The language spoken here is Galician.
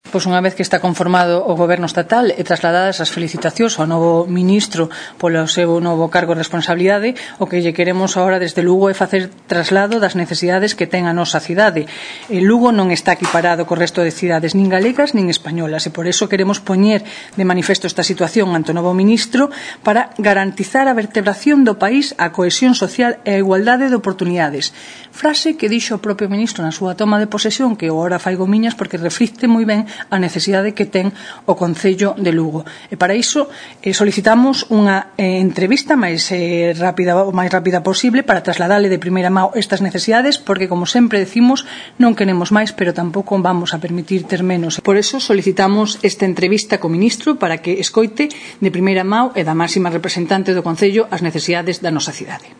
Pois unha vez que está conformado o Goberno estatal e trasladadas as felicitacións ao novo ministro polo seu novo cargo de responsabilidade, o que lle queremos agora desde Lugo é facer traslado das necesidades que ten a nosa cidade. Lugo non está equiparado co resto de cidades nin galegas nin españolas e por iso queremos poñer de manifesto esta situación ante o novo ministro para garantizar a vertebración do país, a cohesión social e a igualdade de oportunidades. Frase que dixo o propio ministro na súa toma de posesión, que agora faigo miñas porque reflicte moi ben a necesidade que ten o Concello de Lugo. E para iso solicitamos unha entrevista o máis rápida posible para trasladarle de primeira mão estas necesidades, porque, como sempre decimos, non queremos máis, pero tampouco vamos a permitir ter menos. Por iso solicitamos esta entrevista co ministro para que escoite de primeira mão e da máxima representante do Concello as necesidades da nosa cidade.